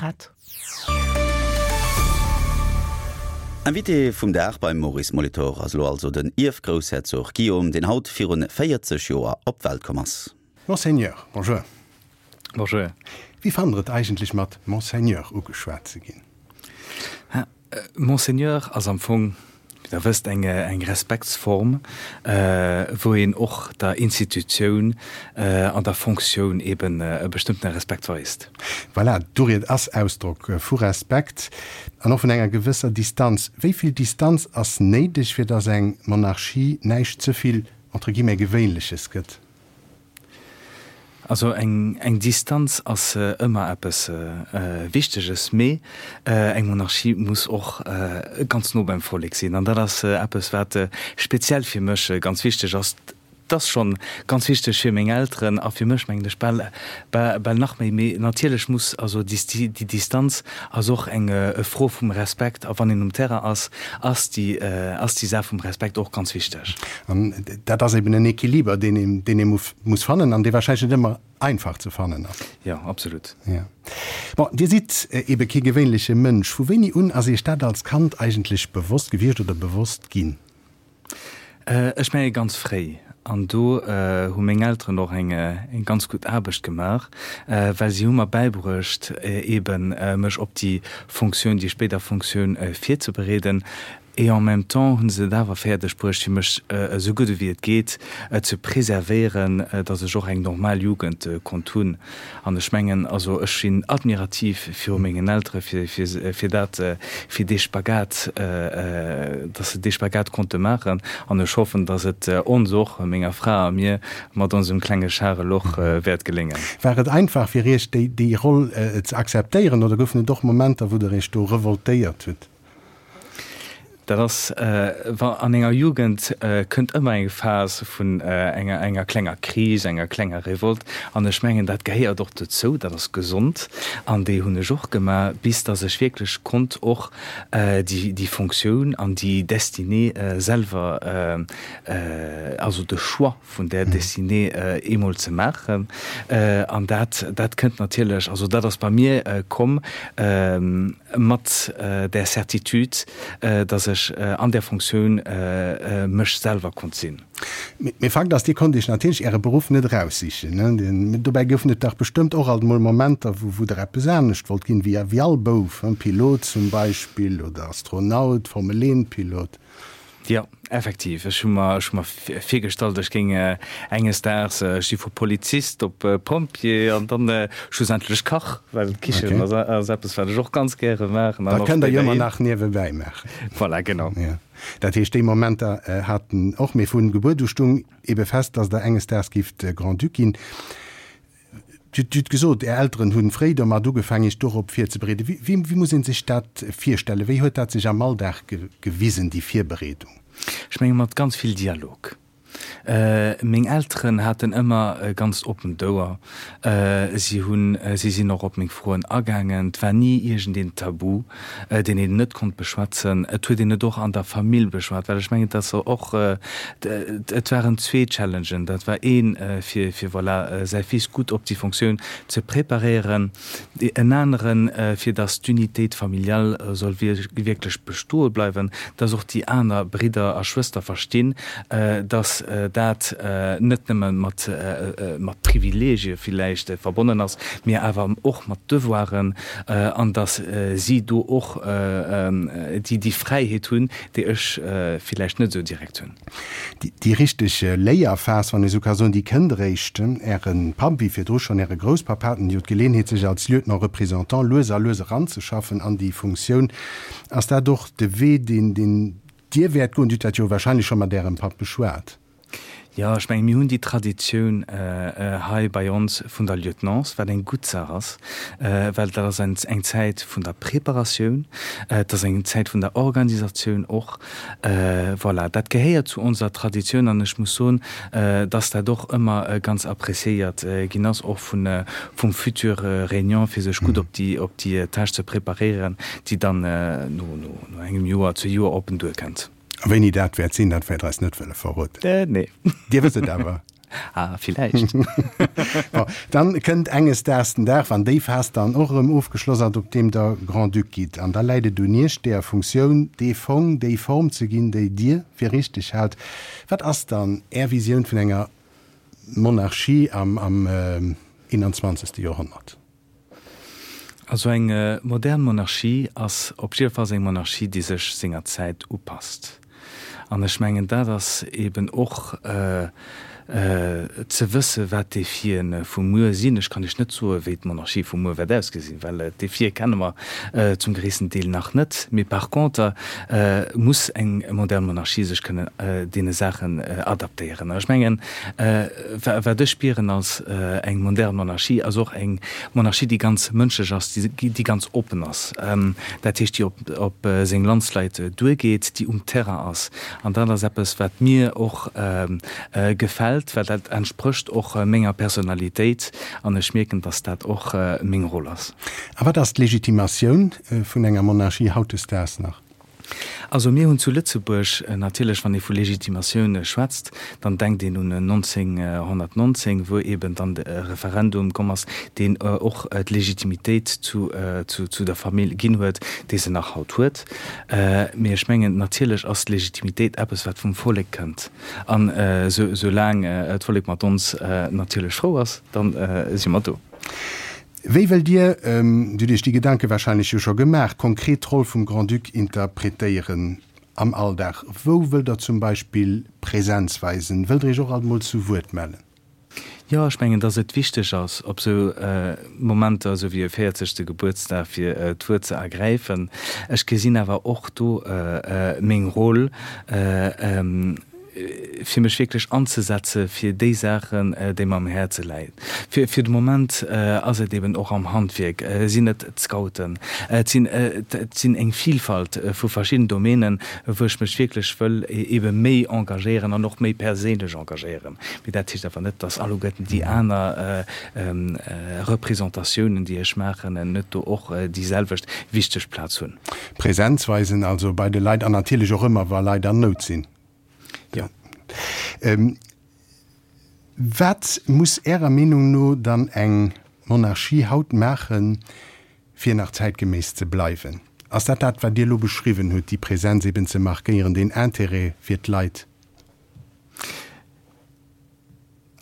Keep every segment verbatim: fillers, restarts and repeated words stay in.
Zigarett. Invité vum Dag beim Maurice Molitor ass elo also den Ierfgroussherzog Guillaume, deen haut virun véierzeg Joer op d'Welt komm ass. Monseigneur, bonjour. Bonjour. Wéi fannt Der et eigentlech mat Monseigneur ugeschwat ze ginn? Monseigneur ass am Fong, wéi Der wësst, eng eng Respektsform, wou een och der Institutioun an der Fonctioun eben e bestëmmtene Respekt weist. Voilà, d'Uried ass Ausdrock vu Respekt an och vun enger gewësser Distanz. Wéi vill Distanz ass néideg, fir datt eng Monarchie näischt ze vill, entre guillemets, Gewéinleches gëtt? Also eng eng Distanz ass ëmmer eppes Wichteges, mee eng Monarchie muss och ganz no beim Vollek sinn. An dat ass eppes, wat speziell fir mech ganz wichteg ass. Et ass schonn ganz wichteg fir meng Elteren a fir mech, mengen ech, bal bal nach méi. Mee natierlech muss also déi Distanz ass och eng Fro vum Respekt. A wann een um Terrain ass, ass déi ass déi Saach vum Respekt och ganz wichteg. An dat ass eben en Equiliber, deen een deen ee muss fannen an dee wahrscheinlech net ëmmer einfach ze fannen ass. Jo, absolut. Jo. Bon, Dir sidd ebe kee gewéinleche Mënsch. Vu wéini un ass Iech dat als Kand eigentlech bewosst gewiescht oder bewosst ginn? Ech menge ganz fréi. An do hu meng Elteren och eng ganz gutt Aarbecht gemaach, well si hu mer bäibruecht, eeben mech op déi Fonctioun, déi spéider Fonctioun virzebereeden. Et en même temps hu se et awer fäerdeg bruecht, fir mech esou gutt ewéi et geet ze preservéieren, datt ech och eng normal Jugend konnt hunn. An ech mengen, also ech sinn admirativ viru mengen Eltere fir, fir, fir dat, fir dee Spagat, datt se dee Spagat konnte maachen. An ech hoffen, datt et ons och, menger Fra a mir, mat onsem klenge Charel och wäert geléngen. War et einfach fir Iech, déi, déi Roll ze akzeptéieren oder goufen et och Momenter, wou Der Iech do revoltéiert hutt? Dat ass, wa an enger Jugend kënnt ëmmer eng Phas vun enger enger klenger Kris, enger klenger Revolt. An ech mengen, dat gehéiert och dozou, dat ass gesond. An déi hunn ech och gemaach, bis datt ech wierklech konnt och déi déi Fonctioun an déi Destinée selwer, also de Choix vun där Destinée eemol ze maachen. An dat dat kënnt natierlech, also dat ass bei mir komm mat där Certitude, datt ech an där Fonctioun mech selwer konnt sinn. Mee Fakt ass, Dir konnt Iech natierlech Äre Beruff net eraussichen. Dobäi goufen et dach bestëmmt och alt emol Momenter, wou Der eppes anescht wollt ginn, wéi all Bouf, Pilot zum Beispill oder Astronaut, Formel-Eent-Pilot. Jo, effektiv. Ech hu mer, ech hu mer virgestallt, ech géing enges Daags, ech si vu Polizist op Pompjee an dann schlussendlech Kach, well d'Kichen ass, ass eppes, wat ech och ganz gäre maachen. Dat kënnt Der jo ëmmer nach niewebäi maachen. Voilà, genau. Jo. Dat heescht, déi Momenter haten och, mee vun Gebuert u stung ebe fest, dass Der enges Daags gifft Grand-Duc ginn. Dir hutt gesot, Är Elteren hu fréi domat ugefaangen, Iech dorop virzebereeden. Wéi wéi muss ee sech dat virstellen? Wéi huet dat sech am Alldag gewisen, déi Virbereedung? Ech menge mat ganz vill Dialog. Meng Elteren haten ëmmer e ganz oppent Ouer. Si hunn, si sinn och op meng Froen agaangen. Et war ni iergendeen Tabu, deen een net konnt beschwätzen. Et huet een et och an der Famill beschwat, well ech mengen, et ass och, et waren zwee Challengen. Dat war een, fir, fir voilà, säi Fils gutt op déi Fonctioun ze preparéieren, en aneren, fir datt d'Unitéit familiale soll wierklech bestoe bleiwen, datt och déi aner Bridder a Schwëster verstinn, datt dat net nëmme mat, mat Privileegie villäicht verbonnen ass, mee awer och mat Devoiren, an datt si do och déi, déi Fräiheet hunn, déi ech villäicht net esou direkt hunn. Déi richteg Léierphas, wann ee sou ka soen, déi kënnt eréischt. Äre Papp, wéi virdru schonn Äre Grousspapp, haten jo d'Geleeënheet, sech als Lieutenant-représentant lues a lues eranzeschaffen an déi Funktioun. Ass dat och de Wee, deen Dir wäert goen? Dir hutt dat jo wahrscheinlech scho mat Ärem Papp beschwat. Jo, ech mengen, mir hunn déi Traditioun hei bei ons vun der Lieutenance, wat eng gutt Saach ass, well dat ass eng Zäit vun der Preparatioun, et ass eng Zäit vun der Organisatioun och. Voilà, dat gehéiert zu onser Traditioun an ech muss soen, dass dat och ëmmer ganz appréciéiert ginn ass, och vun, vum futur Réunion, fir sech gutt op déi, op déi Tâche ze preparéieren, déi dann no, no engem Joer, zwee Joer op en duerkënnt. A wéini dat wäert sinn, dat wäert Der eis net wëlle verroden. Nee. Dir wësst et awer. Ah, villäicht. Bon, dann kënnt enges Daags den Dag, wann déi Phas dann och erëm ofgeschloss ass, op deem Der Grand-Duc gitt. An da läit et un Iech, deeër Funktioun dee Fong, déi Form ze ginn, déi Dir fir richteg haalt. Wat ass dann Är Visioun vun enger Monarchie am am eenanzwanzegste Joerhonnert? Also eng modern Monarchie ass op jiddefalls eng Monarchie, déi sech senger Zäit upasst. An ech mengen, dat ass eben och ze wësse wat d'Defie vu muer sinn. Ech kann Iech net soe wéi d'Monarchie vu muer wäert ausgesinn, well d'Defie kenne mer zum gréissten Deel nach net. Mee par conter muss eng modern Monarchie sech kënnen deene Saachen adaptéieren. An ech mengen, wat ech spieren als eng modern Monarchie, ass och eng Monarchie, déi ganz mënschlech ass, déi ganz oppen ass, dat heescht, déi op seng Landsleit duergeet, déi um Terrain ass. An dat ass eppes, wat mir och gefält, well dat entsprécht och menger Personalitéit an ech mierken, dass dat och meng Roll ass. A wat ass d'Legitimatioun vun enger Monarchie hautdesdaags nach? Also mir hunn zu Lëtzebuerg natierlech, wann ee vu Legitimatioun schwätzt, dann denkt een un nonzénghonnertnonzéng, wou eben dann de Referendum komm ass, deen och d'Legitimitéit zu zu der Famill ginn huet, déi se nach haut huet. Mee ech mengen, natierlech ass d'Legitimitéit eppes, wat vum Vollek kënnt. An soulaang d'Vollek mat ons natierlech frou ass, da si mer do. Wéi wëllt Dir, Dir hutt Iech déi Gedanke warscheinlech jo scho gemaach, konkret d'Roll vum Grand-Duc interpretéieren am Alldag? Wou wëllt Der zum Beispill Präsenz weisen? Wëllt Der Iech och alt mol zu Wuert mellen? Jo, ech mengen, dass et wichteg ass, op esou Momenter, esou wéi e véierzegste Gebuertsdag, fir d'Wuert ze ergräifen. Ech gesinn awer och do meng Roll, fir mech wierklech anzesetze fir déi Saachen, déi mer am Häerze läien. Fir fir de Moment ass et eben och am Handwierk, sinn et d'Scouten, et sinn et sinn eng Vielfalt vu verschidden Domänen, wou ech mech wierklech wëll ebe méi engagéieren an och méi perséinlech engagéieren. Mee dat heescht awer net, dass alleguerten déi aner Representatiounen, déi ech maachen, net do och déi selwecht wichteg Plaz hunn. Präsenz weisen also bei de Leit an natierlech och ëmmer, wa Leit an Nout sinn. Jo. Wat muss Ärer Meenung no dann eng Monarchie haut maachen, fir nach zäitgeméiss ze bleiwen? Ass dat dat, wat Dir elo beschriwwen hutt, déi Präsenz eben ze markéieren, deen Intérêt fir d'Leit?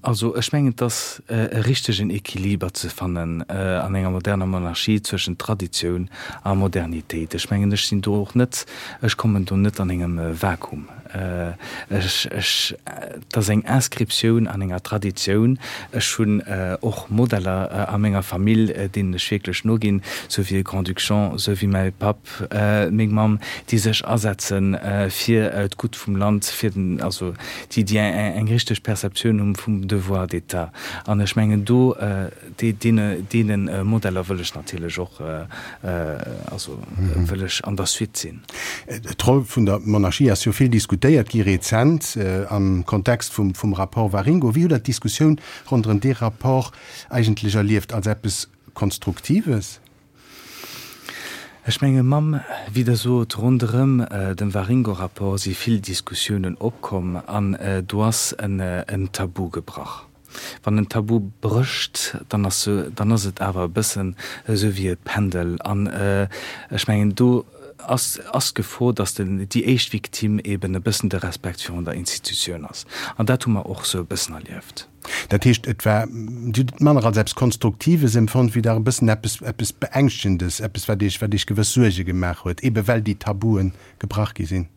Also ech mengen, et ass e richtegen Equiliber ze fannen an enger moderner Monarchie zwëschent Traditioun a Modernitéit. Ech mengen, ech sinn do och net, ech kommen do net an engem Vakuum. Ech, ech, et ass eng Inscriptioun an enger Traditioun. Ech hunn och Modeller a menger Famill, deenen ech wierklech noginn, sou wéi e Grand-Duc Jean, sou wéi mäi Papp, meng Mamm, déi sech asetze fir d'Gutt vum Land, fir den, also déi, déi eng richteg Perceptioun hu vum Devoir d'État. An ech mengen do, deene, deene Modeller wëll ech natierlech och, also wëll ech an der Suite sinn. D'Roll vun der Monarchie ass jo vill diskutéiert gi rezent am Kontext vum, vum Rapport Waringo. Wéi hutt Der d'Diskussioun ronderëm dee Rapport eigentlech erlieft? Als eppes Konstruktives? Ech menge mam, wéi Der sot, ronderëm dem Waringo-Rapport si vill Diskussiounen opkomm an do ass en Tabu gebrach. Wann en Tabu brécht, dann ass dann ass et awer e bëssen esou wéi e Pendel. An ech mengen, do ass ass d'Gefor, datt den déi éischt Victime eeben e bëssen de Respekt virun der Institutioun ass. An dat hu mer och esou e bëssen erlieft. Dat heescht, et war, Dir hutt et manner als eppes Konstruktives empfonnt, wéi dach e bëssen eppes, eppes Beängschtendes, eppes, wat Iech, wat Iech gewëss Suerge gemaach huet, eebe well déi Tabue gebrach gi sinn.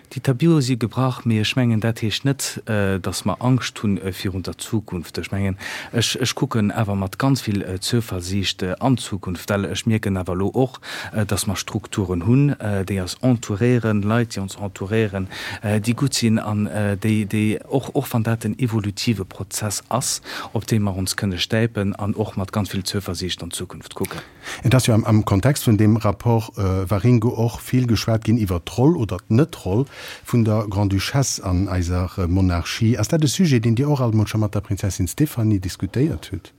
Déi Tabue si gebrach, mee ech mengen, dat heescht net, datt mer Angscht hu virun der Zukunft. Ech mengen, ech, ech kucken awer mat ganz vill Zuversiicht an d'Zukunft, well ech mierken awer elo och, datt mer Strukturen hunn, déi eis entouréieren, Leit, déi ons entouréieren, déi gutt sinn an déi, déi och, och wann dat en evolutive Prozess ass, op dee mer ons kënne stäipen an och mat ganz vill Zuversiicht an d'Zukunft kucken. Et ass jo am Kontext vun deem Rapport Waringo och vill geschwat ginn iwwert d'Roll oder d'Net-Roll vun der Grande-Duchesse an eiser Monarchie. Ass dat e Sujet, deen Dir och alt emol scho mat der Prinzessin Stéphanie diskutéiert hutt?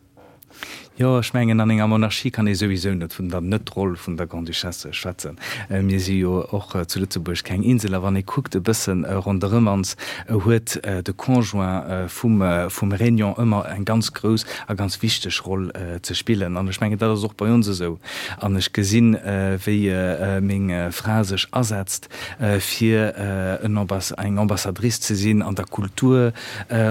Jo, ech mengen, an enger Monarchie kann ee souwisou net vun der Net-Roll vun der Grande-Duchesse schwätzen. Mir si jo och zu Lëtzebuerg keng Insel a wann ee kuckt e bësse ronderëm ons, huet de Conjoint vum vum Régnant ëmmer eng ganz grouss a ganz wichteg Roll ze spillen. An ech mengen, dat ass och bei ons esou. An ech gesinn, wéi meng Fra sech asetzt, fir en eng Ambassadrice ze sinn an der Kultur,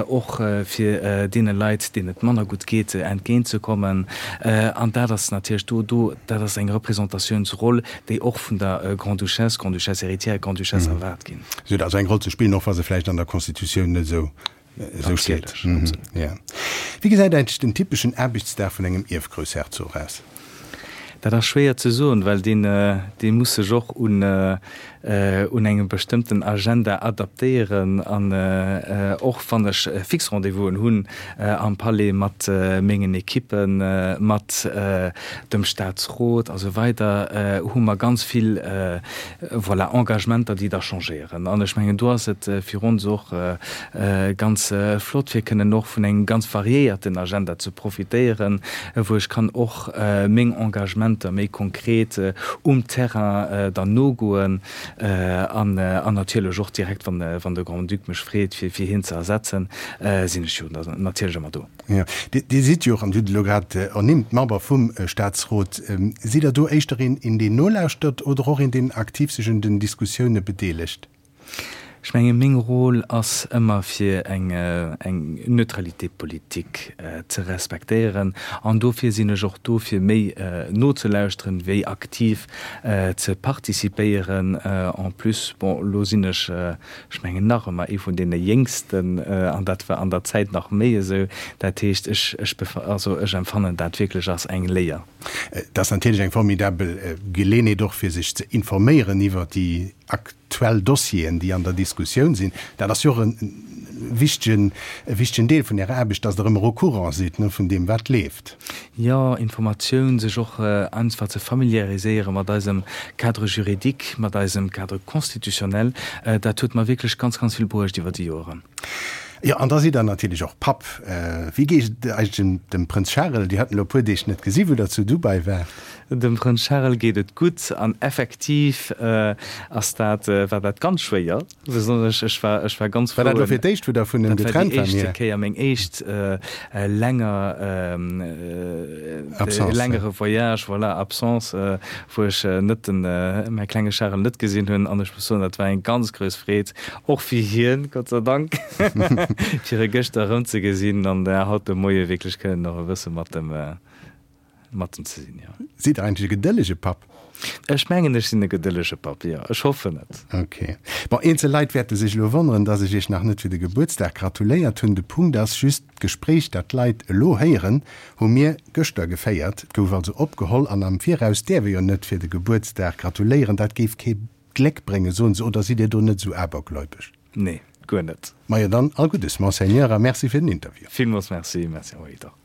och fir deene Leit, deenen et manner gutt geet, entgéintzekommen. An dat ass natierlech do, do, dat ass eng Representatiounsroll, déi och vun der Grande-Duchesse, Grande-Duchesse héritière, Grande-Duchesse erwaart ginn. Si huet also eng Roll ze spillen, och wa se vläicht an der Constitutioun net esou, esou steet. Jo. Wéi gesäit eigentlech den typeschen Aarbechtsdag vun engem Ierfgroussherzog aus? Dat ass schwéier ze soen, well deen, dee muss sech och un, un engem bestëmmten Agenda adaptéieren. An och wann ech fix Rendez-vousen hunn am Palais mat mengen Ekippen, mat dem Staatsrot a sou weider, hu mer ganz vill, voilà, Engagementer, déi da changéieren. An ech mengen, do ass et fir ons och ganz flott, fir kënnen och vun engem ganz variéierten Agenda ze profitéieren, wou ech kann och meng Engagementer méi konkret um Terrain dann nogoen an natierlech och direkt, wann de Grand-Duc mech freet, fir hien ze ersetzen, sinn ech jo natierlech ëmmer do. Jo, Dir sidd jo och, an Dir hutt et elo grad ernimmt, Member vum Staatsrot. Sidd Der do éischter een, deen nolauschtert oder och een, deen aktiv sech un den Diskussioune bedeelegt? Ech menge meng Rôle ass ëmmer fir eng eng Neutralité politique ze respektéieren an dofir sinn ech och do fir méi nozelauschteren wéi aktiv ze participéieren. En plus, bon elo sinn ech, ech mengen nach ëmmer ee vun deene Jéngsten an dat war an der Zäit nach méi esou. Dat heescht ech ech also ech empfannen dat wierklech als eng Léier. Et ass natierlech eng formidabel Geleeënheet och fir sech ze informéieren iwwer déi aktuell Dossieren, déi an der Diskussioun sinn. Dat ass jo och e wichtegen, e wichtegen Deel vun Ärer Aarbecht, dass Der ëmmer au courant sidd, ne, vun deem, wat leeft. Jo, Informatioun, sech och einfach ze familiariséiere mat eisem Cadre juridique, mat eisem Cadre constitutionnel, dat huet mer wierklech ganz, ganz vill bruecht iwwer déi Joeren. Jo, an da sidd Der natierlech och Papp. Wéi geet et eigentlech dem Prënz Charel? Dir hat en elo e puer Deeg net gesi wou Der zu Dubai waart. Dem Prënz Charel geet et gutt an effektiv ass dat, war dat ganz schwéier, besonnesch ech war, ech war ganz frou. War dat elo fir d'éischt wou Der vun him getrennt waart? Dat war déi éischte Kéier, meng éischt länger, Absence, längere Voyage, voilà, Absence, wou ech net den, mäi klenge Charel net gesinn hunn an ech muss soen, dat war eng ganz grouss Freed, och fir hien, Gott sei Dank, fir e gëschter erëmzegesinn an haut de Moie wierklech kënnen nach e bësse mat em, mat em ze sinn, jo. Sidd Der eigentlech e gedëllege Papp? Ech mengen, ech sinn e gedëllege Papp, jo. Ech hoffen et. Ok. Bon, eenzel Leit wäerte sech elo wonneren, dass ech Iech nach net fir de Gebuertsdag gratuléiert hunn. De Punkt ass just, d'Gespréich, dat d'Leit elo héieren, hu mir gëschter geféiert. Et gouf also opgeholl an am Viraus däerf ee jo net fir de Gebuertsdag gratuléieren. Dat géif kee Gléck bréngen, soen se. Oder sidd Dir do net esou abergläubesch? Nee, guer net. Majo dann, all Guddes, Monseigneur, a Merci fir den Interview. Villmools Merci. Merci, Henri Dach.